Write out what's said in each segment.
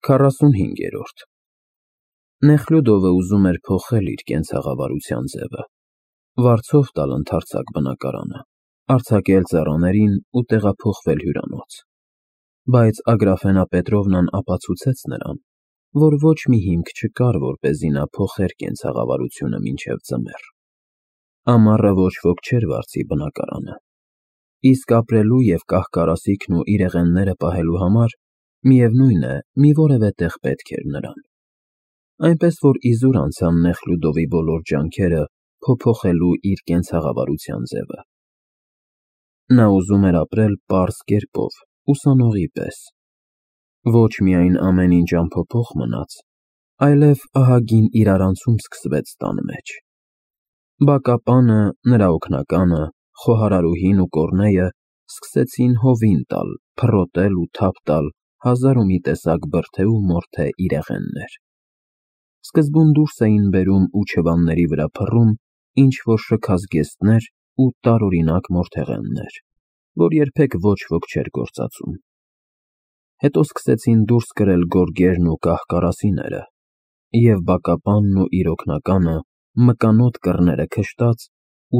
45-րդ Նեխլյուդովը ուզում էր փոխել իր կենցաղավարության ձևը, վարձով տալ ընդարձակ բնակարանը, արձակել ծառաներին ու տեղափոխվել հյուրանոց, բայց Ագրաֆենա Պետրովնան ապացուցեց նրան, որ ոչ մի հիմք չկար, որպեսզի նա փոխեր կենցաղավարությունը մինչև ձմեռ։ Ամառը ոչ ոք չէր վարձի բնակարանը, իսկ ապրելու և կահ֊կարասիքն ու իրեղենները պահելու համար միևնույն է, մի որևէ տեղ պետք էր նրան, այնպես որ իզուր անցան Նեխլյուդովի բոլոր ջանքերը փոփոխելու իր կենցաղավարության ձևը։ Նա ուզում էր ապրել պարզ կերպով, ուսանողի պես, ոչ միայն ամեն ինչ անփոփոխ մնաց, այլև ահագին իրարանցում սկսվեց տան մեջ։ Բակապանը, նրա օգնականը, խոհարարուհին ու Կոռնեյը սկսեցին հովին տալ, փռոտել ու թափ տալ հազար ու մի տեսակ բրդե ու մորթե իրեղեններ։ Սկզբում դուրս էին բերում ու չվանների վրա փռում ինչ-որ շքազգեստներ ու տարօրինակ մորթեղեններ, որ երբեք ոչ ոք չէր գործածում։ Հետո սկսեցին դուրս կրել գորգերն ու կահ֊կարասիները, և բակապանն ու իր օգնականը մկանոտ կռները քշտած,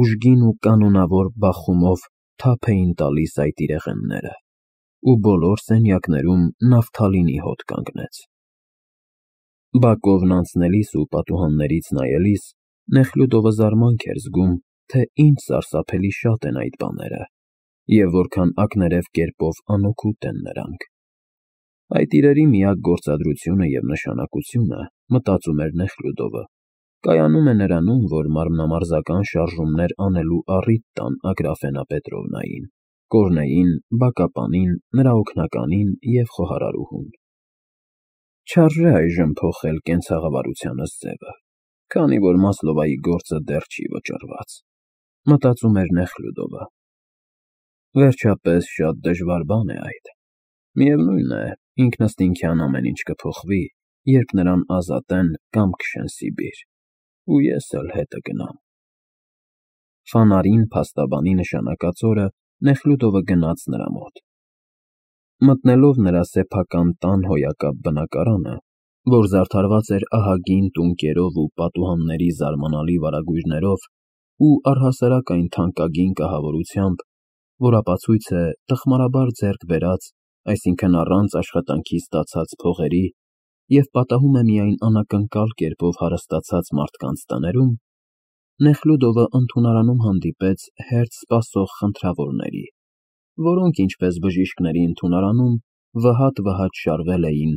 ուժգին ու կանոնավոր բախումով թափ էին տալիս այդ իրեղենները, ու բոլոր սենյակներում նավթալինի հոտ կանգնեց։ Բակովն անցնելիս ու պատուհաններից նայելիս Նեխլյուդովը զարմանք էր զգում, թե ինչ սարսափելի շատ են այդ բաները, և որքան ակներև կերպով անօգուտ են նրանք։ Այդ իրերի միակ գործադրությունը և նշանակությունը, մտածում էր Նեխլյուդովը, կայանում է նրանում, որ մարմնամարզական շարժումներ անելու առիթ տան Ագրաֆենա Պետրովնային, Կոռնեյին, բակապանին, նրա օգնականին և խոհարարուհուն։ Չարժե այժմ փոխել կենցաղավարությանս ձևը, քանի որ Մասլովայի գործը դեռ չի վճռված, մտածում էր Նեխլյուդովը։ Վերջապես շատ դժվար բան է այդ։ Միևնույն է, ինքնըստինքյան ամեն ինչ կփոխվի, երբ նրան ազատեն կամ քշեն Սիբիր, ու ես էլ հետը գնամ։ Ֆանարին փաստաբանի նշանակած օրը Նեխլյուդովը գնաց նրա մոտ։ Մտնելով նրա սեփական տան հոյակապ բնակարանը, որ զարդարված էր ահագին տունկերով ու պատուհանների զարմանալի վարագույրներով ու առհասարակ այն թանկագին կահավորությամբ, որ ապացույց է տխմարաբար ձեռք բերած, այսինքն առանց աշխատանքի ստացած փողերի և պատահում է միայն անակնկալ կերպով հարստացած մարդկանց տներում, Նեխլյուդովը ընդունարանում հանդիպեց հերթ սպասող խնդրավորների, որոնք, ինչպես բժիշկների ընդունարանում, վհատ շարվել էին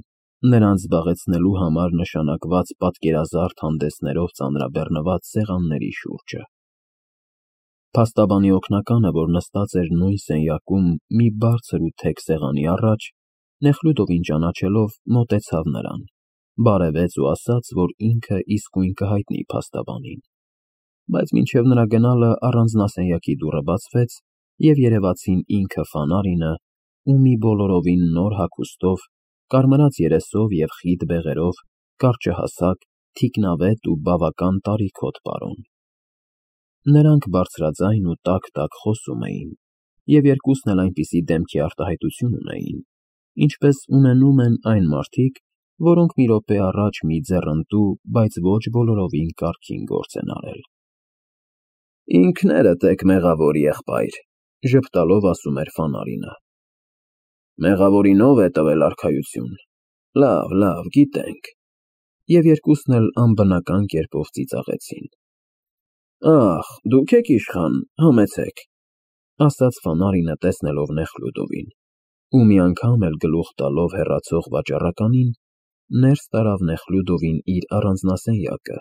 նրանց զբաղեցնելու համար նշանակված պատկերազարդ հանդեսներով ծանրաբեռնված սեղանների շուրջը։ Փաստաբանի օգնականը, որ նստած էր նույն սենյակում մի բարձր ու թեք սեղանի առաջ, Նեխլյուդովին ճանաչելով, մոտեցավ նրան, բարևեց ու ասաց, որ ինքը իսկույն կհայտնի փաստաբանին, բայց մինչև նրա գնալը առանձնասենյակի դուռը բացվեց, և երևացին ինքը Ֆանարինը ու մի բոլորովին նոր հագուստով, կարմրած երեսով և խիտ բեղերով, կարճահասակ, թիկնավետ ու բավական տարիքոտ պարոն։ Նրանք բարձրաձայն ու տաք խոսում էին, և երկուսն էլ այնպիսի դեմքի արտահայտություն ունեին, ինչպես ունենում են այն մարդիկ, որոնք մի րոպե առաջ մի ձեռնտու, բայց ոչ բոլորովին կարգին գործ են արել։ Ինքներդ եք մեղավոր, եղբայր, ժպտալով ասում էր Ֆանարինը։ Մեղավորին ո՞վ է տվել արքայություն։ Լավ, գիտենք։ Եվ երկուսն էլ անբնական կերպով ծիծաղեցին։ Ախ, դուք եք իշխան, համեցեք, ասաց Ֆանարինը, տեսնելով Նեխլյուդովին, ու մի անգամ էլ գլուխ տալով հեռացող վաճառականին, ներս տարավ Նեխլյուդովին իր առանձնասենյակը,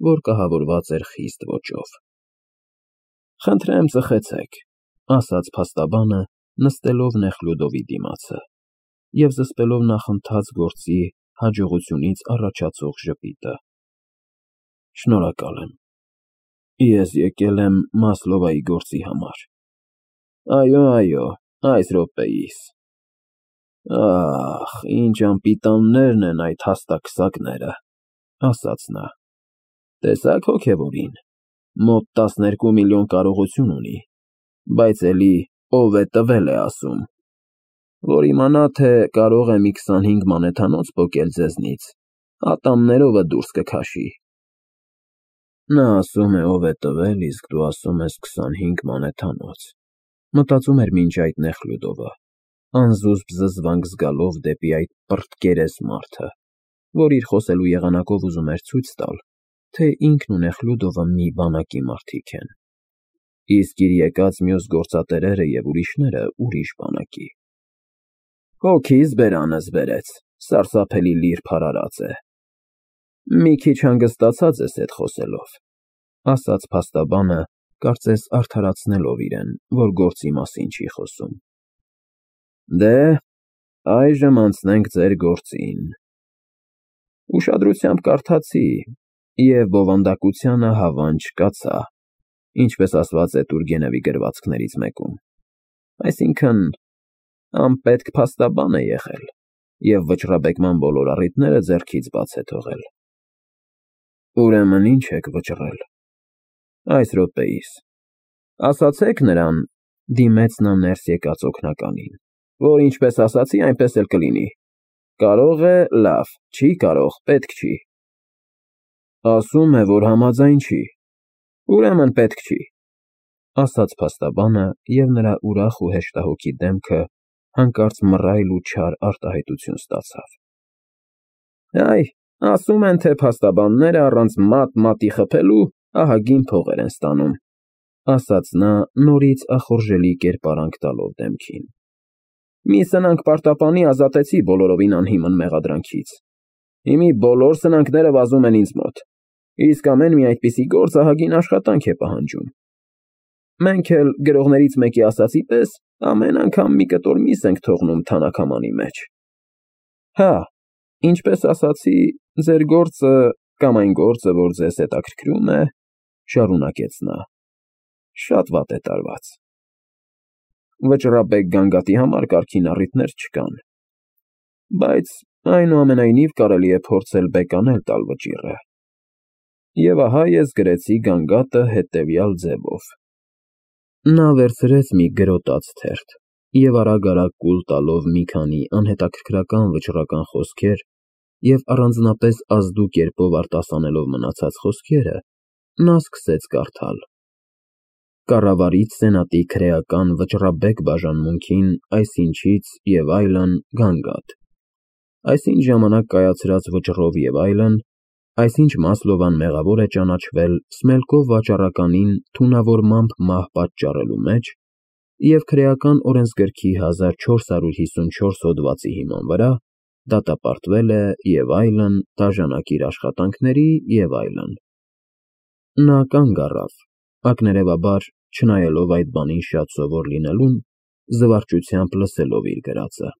որ կահավորված էր խիստ ոճով։ Խնդրեմ ծխեցեք, ասաց փաստաբանը, նստելով Նեխլյուդովի դիմացը և զսպելով նախընթաց գործի հաջողությունից առաջացող ժպիտը։ Շնորհակալ եմ։ Ես եկել եմ Մասլովայի գործի համար։ Այո, այս րոպեիս։ Ախ, ինչ անպիտաններն են այդ հաստակսակները, ասաց նա։ Տեսա՞ք հոգևորին, մոտ 12 միլիոն կարողություն ունի, բայց էլի ով է տվել է ասում։ որ իմանա, թե կարող է մի 25 մանեթանոց պոկել ձեզնից, ատամներովը դուրս կքաշի։ Նա ասում է, ով է տվել, իսկ դու ասում ես 25 մանեթանոց, մտածում էր մինչ այդ Նեխլյուդովը, անզուսպ զզվանք զգալով դեպի այդ պռտկերես մարդը, որ իր խոսելու եղանակով ուզում էր ցույց տալ, թե ինքն ու Նեխլյուդովը մի բանակի մարդիկ են, իսկ իր եկած մյուս գործատերերը և ուրիշները ուրիշ բանակի։ Հոգիս բերանս բերեց, սարսափելի լիրբ հարարած է։ Մի քիչ հանգստացած ես էդ խոսելով, ասաց փաստաբանը, կարծես արդարացնելով իրեն, որ գործի մասին չի խոսում։ Դե, այժմ անցնենք ձեր գործին։ Ուշադրությամբ կարդացի և բովանդակությանը հավան չկացա, ինչպես ասված է Տուրգենևի գրվածքներից մեկում, այսինքն անպետք փաստաբան է եղել և վճռաբեկման բոլոր առիթները ձեռքից բաց է թողել։ Ուրեմն ինչ եք վճռել։ Այս րոպեիս։ Ասացեք նրան, դիմեց նա ներս եկած օգնականին, որ ինչպես ասացի, այնպես էլ կլինի։ Կարող է, լավ, չի կարող, պետք չի։ Ասում է, որ համաձայն չի։ Ուրեմն պետք չի, ասաց փաստաբանը, և նրա ուրախ ու հեշտահոգի դեմքը հանկարծ մռայլ ու չար արտահայտություն ստացավ։ Այ, ասում են, թե փաստաբանները առանց մատ-մատի խփելու ահագին փողեր են ստանում, ասաց նա նորից ախորժելի կերպարանք տալով դեմքին։ Մի սնանկ պարտապանի ազատեցի բոլորովին անհիմն մեղադրանքից։ Հիմի բոլոր սնանկները վազում են ինձ մոտ, իսկ ամեն մի այդպիսի գործ ահագին աշխատանք է պահանջում։ Մենք էլ գրողներից մեկի ասածի պես ամեն անգամ մի կտոր միս ենք թողնում թանաքամանի մեջ։ Հա, ինչպես ասացի, ձեր գործը կամ այն գործը, որ ձեզ հետաքրքրում է, շարունակեց նա, շատ վատ է տարված։ Վճռաբեկ գանգատի համար կարգին առիթներ չկան, բայց այնուամենայնիվ կարելի է փորձել բեկանել տալ վճիռը։ Եվ ահա ես գրեցի գանգատը հետևյալ ձևով։ Նա վերցրեց մի գրոտած թերթ և արագ-արագ կուլ տալով մի քանի անհետաքրքրական վճռական խոսքեր և առանձնապես ազդու կերպով արտասանելով մնացած խոսքերը, նա սկսեց կարդալ. Կառավարիչ սենատի քրեական վճռաբեկ բաժանմունքին այսինչից և այլն գանգատ։ Այսինչ ժամանակ կայացրած վճռով և այլն, այսինչ Մասլովան մեղավոր է ճանաչվել Սմելկով վաճառականին թունավորմամբ մահ պատճառելու մեջ և քրեական օրենսգրքի 1454 հոդվածի հիման վրա դատապարտվել է և այլն, դաժանակ իր աշխատանքների և այլն։ Նա կանգ առավ, ակներևաբար, չնայելով այդ բանին շատ սովոր լինելուն, զվարճությամբ լսելով իր գրածը։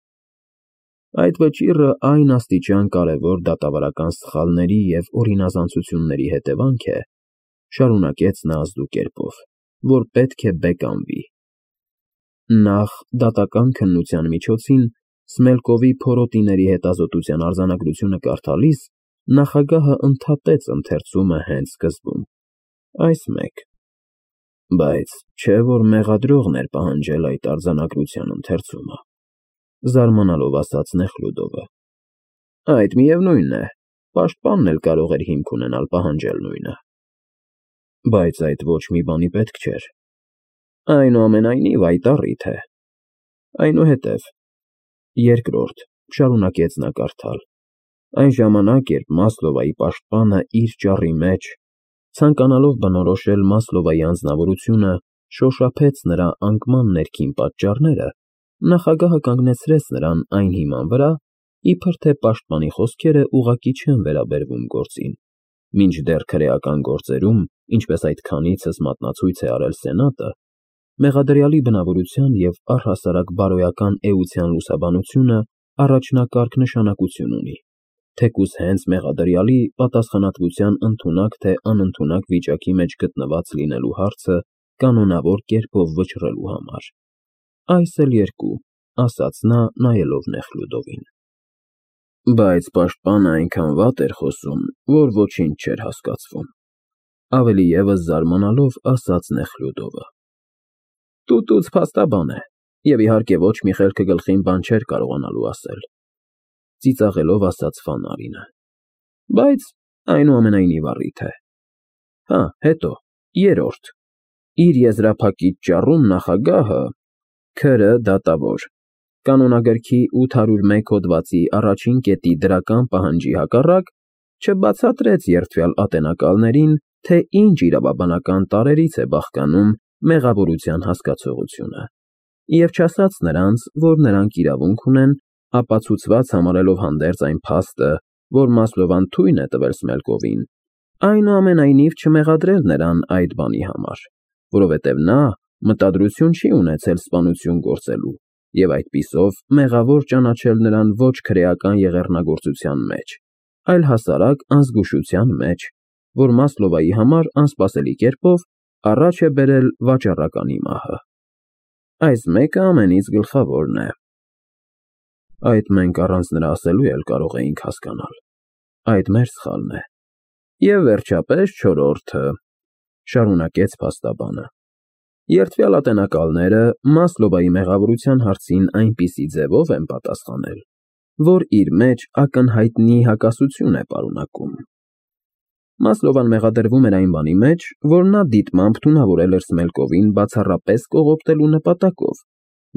Այդ վճիռը այն աստիճան կարևոր դատավարական սխալների և օրինազանցությունների հետևանք է, շարունակեց նա ազդու կերպով, որ պետք է բեկանվի։ Նախ, դատական քննության միջոցին Սմելկովի փորոտիների հետազոտության արձանագրությունը կարդալիս, նախագահը ընդհատեց ընթերցումը հենց սկզբում, այս մեկ, բայց չէ՞ որ մեղադրողն էր պահանջել այդ արձանագրության ընթերցումը, զարմանալով ասաց Նեխլյուդովը։ Այդ միևնույնն է, պաշտպանն էլ կարող էր հիմք ունենալ պահանջել նույնը։ Բայց այդ ոչ մի բանի պետք չէր։ Այնուամենայնիվ այդ առիթ է։ Այնուհետև, երկրորդ, շարունակեց նա կարդալ, այն ժամանակ, երբ Մասլովայի պաշտպանը իր ճառի մեջ, ցանկանալով բնորոշել Մասլովայի անձնավորությունը, շոշափեց նրա անկման ներքին պատճառները, նախագահը կանգնեցրեց նրան այն հիման վրա, իբր թե պաշտպանի խոսքերը ուղղակի չեն վերաբերվում գործին, մինչդեռ քրեական գործերում, ինչպես այդ քանիցս մատնացույց է արել Սենատը, մեղադրյալի բնավորության և առհասարակ բարոյական էության լուսաբանությունը առաջնակարգ նշանակություն ունի, թեկուզ հենց մեղադրյալի պատասխանատվության ընդունակ թե անընդունակ վիճակի մեջ գտնված լինելու հարցը կանոնավոր կերպով վճռելու համար։ Այս էլ երկու, ասաց նա, նայելով Նեխլյուդովին։ Բայց պաշտպանը այնքան վատ էր խոսում, որ ոչինչ չէր հասկացվում, ավելի ևս զարմանալով ասաց Նեխլյուդովը։ Տուտուց փաստաբան է, Եվ իհարկե ոչ մի խելքը գլխին բան չէր կարողանալու ասել։ Ծիծաղելով ասաց Ֆանարինը։ Բայց այնուամենայնիվ առիթ է։ Հա, հետո, երրորդ։ Իր եզրափակիչ ճառում նախագահը Քրը դատավոր, կանոնագրքի 801 հոդվածի առաջին կետի դրական պահանջի հակառակ չբացատրեց երդվյալ ատենակալներին, թե ինչ իրավաբանական տարրերից է բաղկանում մեղավորության հասկացողությունը, և չասաց նրանց, որ նրանք իրավունք ունեն, ապացուցված համարելով հանդերձ այն փաստը, որ Մասլովան թույն է տվել Սմելկովին, այնուամենայնիվ չմեղադրել նրան այդ բանի համար, որովհետև նա մտադրություն չի ունեցել սպանություն գործելու և այդպիսով մեղավոր ճանաչել նրան ոչ քրեական եղեռնագործության մեջ, այլ հասարակ անզգուշության մեջ, որ Մասլովայի համար անսպասելի կերպով առաջ է բերել վաճառականի մահը։ Այս մեկը ամենից գլխավորն է։ Այդ մենք առանց նրա ասելու էլ կարող էինք հասկանալ։ Այդ մեր սխալն է։ Եվ վերջապես չորրորդը, շարունակեց փաստաբանը։ Երդվյալ ատենակալները Մասլովայի մեղավորության հարցին այնպիսի ձևով են պատասխանել, որ իր մեջ ակնհայտնի հակասություն է պարունակում։ Մասլովան մեղադրվում էր այն բանի մեջ, որ նա դիտմամբ թունավորել էր Սմելկովին բացառապես կողոպտելու նպատակով,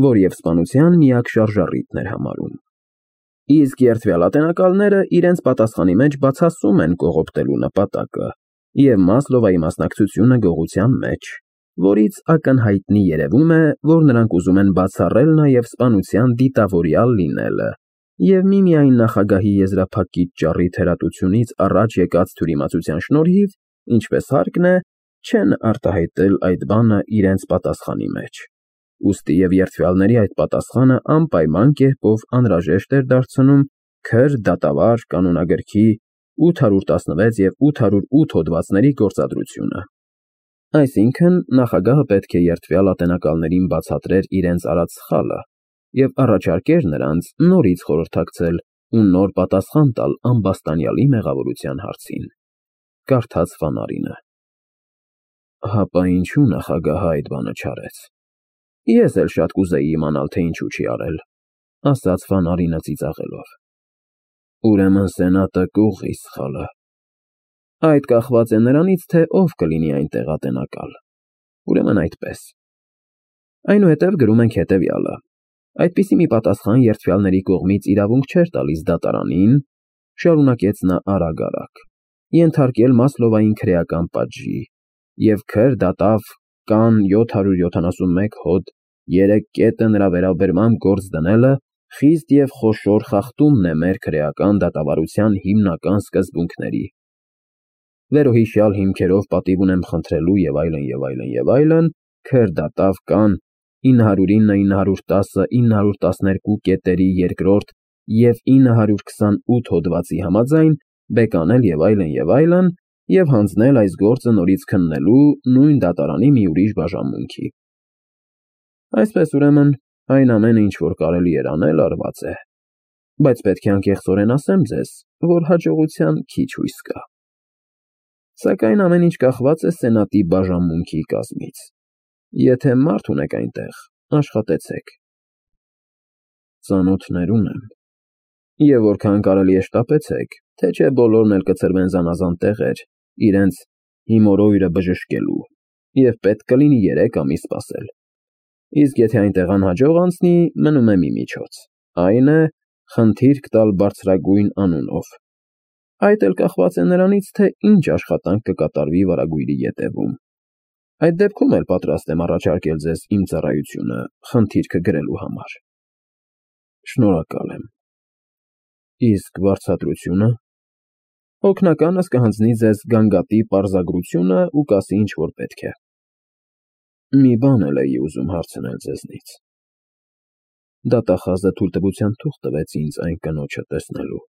որ և սպանության միակ շարժառիթն էր համարում։ Իսկ երդվյալ ատենակալները իրենց պատասխանի մեջ բացասում են կողոպտելու նպատակը և Մասլովայի մասնակցությունը գողության մեջ, որից ակնհայտնի երևում է, որ նրանք ուզում են բացառել նաև սպանության դիտավորյալ լինելը և միմիայն նախագահի եզրափակիչ ճառի թերատությունից առաջ եկած թյուրիմացության շնորհիվ, ինչպես հարկն է, չեն արտահայտել այդ բանը իրենց պատասխանի մեջ։ Ուստի և երդվյալների այդ պատասխանը անպայման կերպով անհրաժեշտ էր դարձնում Քր դատավոր կանոնագրքի 816 և 808 հոդվածների գործադրությունը։ Այսինքն, նախագահը պետք է երդվյալ ատենակալներին բացատրեր իրենց արած սխալը և առաջարկեր նրանց նորից խորհրդակցել ու նոր պատասխան տալ ամբաստանյալի մեղավորության հարցին։ Կարդաց Ֆանարինը։ Հապա ինչու նախագահը այդ բանը չարեց։ Ես էլ շատ կուզեի իմանալ, թե ինչու չի արել, ասաց Ֆանարինը ծիծաղելով։ Ուրեմն Սենատը կուղղի սխալը։ Այդ կախված է նրանից, թե ով կլինի այնտեղ ատենակալ։ Ուրեմն այդպես։ Այնուհետև գրում ենք հետևյալը. այդպիսի մի պատասխան երդվյալների կողմից իրավունք չէր տալիս դատարանին, շարունակեց նա արագ, ենթարկել Մասլովային քրեական պատժի, և Քր դատավ կան 771 հոդ 3 կետը նրա վերաբերմամբ գործ դնելը խիստ և խոշոր խախտումն է մեր քրեական դատավարության հիմնական սկզբունքների։ Վերոհիշյալ հիմքերով պատիվ ունեմ խնդրելու և այլն, և այլն, և այլն, Քր դատավ կան 909, 910, 912 կետերի երկրորդ և 928 հոդվածի համաձայն բեկանել և այլն, և հանձնել այս գործը նորից քննելու նույն դատարանի մի ուրիշ բաժանմունքի։ Այսպես ուրեմն, այն ամենը, ինչ որ կարելի էր անել, արված է, բայց պետք է անկեղծորեն ասեմ ձեզ, որ հաջողության քիչ հույս կա։ Սակայն ամեն ինչ կախված է Սենատի բաժանմունքի կազմից։ Եթե մարդ ունեք այնտեղ, աշխատեցեք։ Ծանոթներ ունեմ։ Եվ որքան կարելի է շտապեցեք, թե չէ բոլորն էլ կցրվեն զանազան տեղեր, իրենց հիմորոյրը բժշկելու, և պետք կլինի 3 ամիս սպասել։ Իսկ եթե այնտեղ անհաջող անցնի, մնում է մի միջոց, այն է, խնդիրք տալ բարձրագույն անունով։ Այդ էլ կախված է նրանից, թե ինչ աշխատանք կկատարվի վարագույրի ետևում։ Այդ դեպքում էլ պատրաստ եմ առաջարկել ձեզ իմ ծառայությունը խնդիրքը գրելու համար։ Շնորհակալ եմ։ Իսկ վարձատրությունը։ Օգնականս կհանձնի ձեզ գանգատի պարզագրությունը ու կասի ինչ որ պետք է։ Մի բան էլ էի ուզում հարցնել ձեզնից։ Դատախազը թույլտվության թուղթ տվեց ինձ այն կնոջը տեսնելու,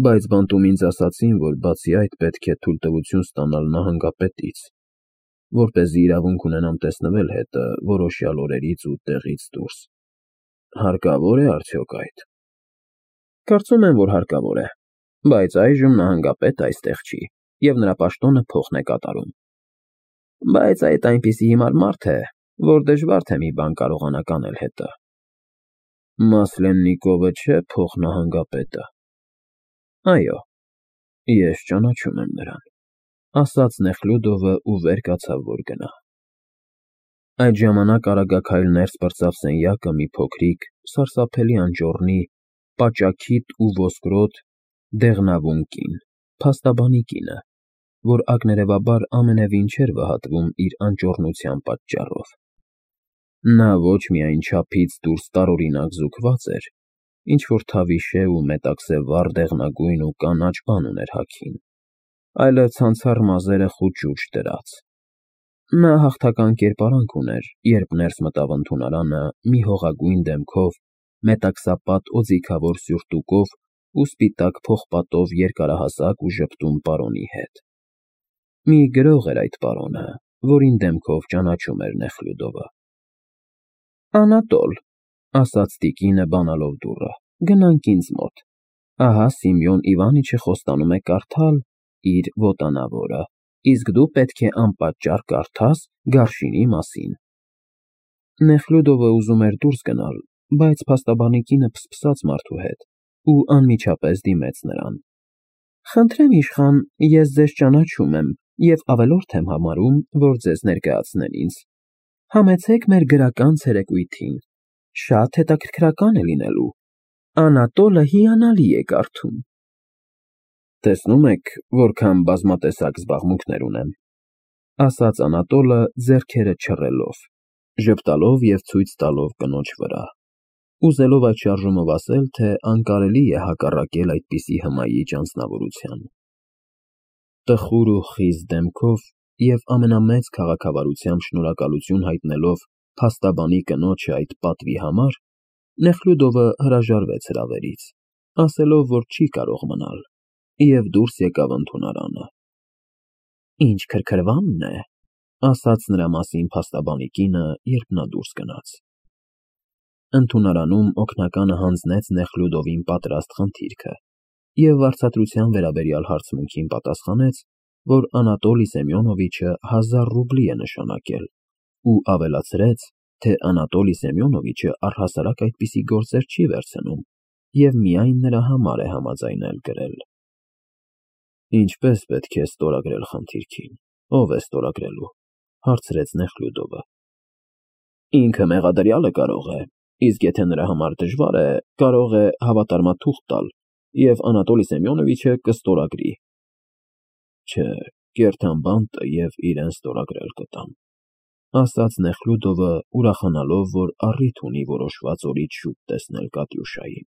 բայց բանտում ինձ ասացին, որ բացի այդ պետք է թույլտվություն ստանալ նահանգապետից, որպեսզի իրավունք ունենամ տեսնվել հետը որոշյալ օրերից ու տեղից դուրս։ Հարկավոր է արդյոք այդ։ Կարծում եմ, որ հարկավոր է, բայց այժմ նահանգապետը այստեղ չի, և նրա պաշտոնը փոխն է կատարում։ Բայց այդ այնպիսի հիմար մարդ է, որ դժվար թե մի բան կարողանաք անել հետը։ Մասլեննիկովը չէ՞ փոխնահանգապետը։ Այո, ես ճանաչում եմ նրան, ասաց Նեխլյուդովը ու վեր կացավ, որ գնա։ Այդ ժամանակ արագաքայլ ներս պրծավ սենյակը մի փոքրիկ, սարսափելի անճոռնի, պաճաքիթ ու ոսկրոտ, դեղնավուն կին, փաստաբանի կինը, որ ակներևաբար ամենևին չէր վհատվում իր անճոռնության պատճառով։ Նա ոչ միայն չափից դուրս տարօրինակ զուգված էր, ինչ-որ թավիշե ու մետաքսե վառ դեղնագույն ու կանաչ բան ուներ հագին, այլև ցանցառ մազերը խուտ շուրջ դրած։ Նա հաղթական կերպարանք ուներ, երբ ներս մտավ ընդունարանը մի հողագույն դեմքով, մետաքսապատ օձիքավոր սյուրտուկով ու սպիտակ փողպատով երկարահասակ ու ժպտուն պարոնի հետ։ Մի գրող էր այդ պարոնը, որին դեմքով ճանաչում էր Նեխլյուդովը։ Անատոլ, ասաց տիկինը բանալով դուռը, գնանք ինձ մոտ։ Ահա Սիմեոն Իվանիչը խոստանում է կարդալ իր ոտանավորը, իսկ դու պետք է անպատճառ կարդաս Գարշինի մասին։ Նեխլյուդովը ուզում էր դուրս գնալ, բայց փաստաբանի կինը փսփսաց մարդու հետ ու անմիջապես դիմեց նրան։ Խնդրեմ, իշխան, ես ձեզ ճանաչում եմ և ավելորդ եմ համարում, որ ձեզ ներկայացնեն ինձ։ Համեցեք մեր գրական ցերեկույթին, շատ հետաքրքրական է լինելու։ Անատոլը հիանալի է կարդում։ Տեսնում եք, որքան բազմատեսակ զբաղմունքներ ունեմ, ասաց Անատոլը ձեռքերը չռելով, ժպտալով և ցույց տալով կնոջ վրա, ուզելով այդ շարժումով ասել, թե անկարելի է հակառակել այդպիսի հմայիչ անձնավորության։ Տխուր ու խիտ դեմքով և ամենամեծ քաղաքավարությամբ շնորհակալություն հայտնելով փաստաբանի կնոջը այդ պատվի համար, Նեխլյուդովը հրաժարվեց հրավերից, ասելով, որ չի կարող մնալ, և դուրս եկավ ընդունարանը։ Ինչ քրքրվանն է, ասաց նրա մասին փաստաբանի կինը, երբ նա դուրս գնաց։ Ընդունարանում օգնականը հանձնեց Նեխլյուդովին պատրաստ խնդիրքը և վարձատրության վերաբերյալ հարցմունքին պատասխանեց, որ Անատոլի Սեմյոնովիչը 1000 ռուբլի է նշանակել ու ավելացրեց, թե Անատոլի Սեմյոնովիչը առհասարակ այդպիսի գործեր չի վերցնում և միայն նրա համար է համաձայնել գրել։ Ինչպե՞ս պետք է ստորագրել խնդիրքին, ով է ստորագրելու, հարցրեց Նեխլյուդովը։ Ինքը մեղադրյալը կարող է, իսկ եթե նրա համար դժվար է, կարող է հավատարմաթուղթ տալ, և Անատոլի Սեմյոնովիչը կստորագրի։ Չէ, կերթան բանտը և իրեն ստորագրել կտամ, ասաց Նեխլյուդովը, ուրախանալով, որ առիթ ունի որոշված օրից շուտ տեսնել Կատյուշային։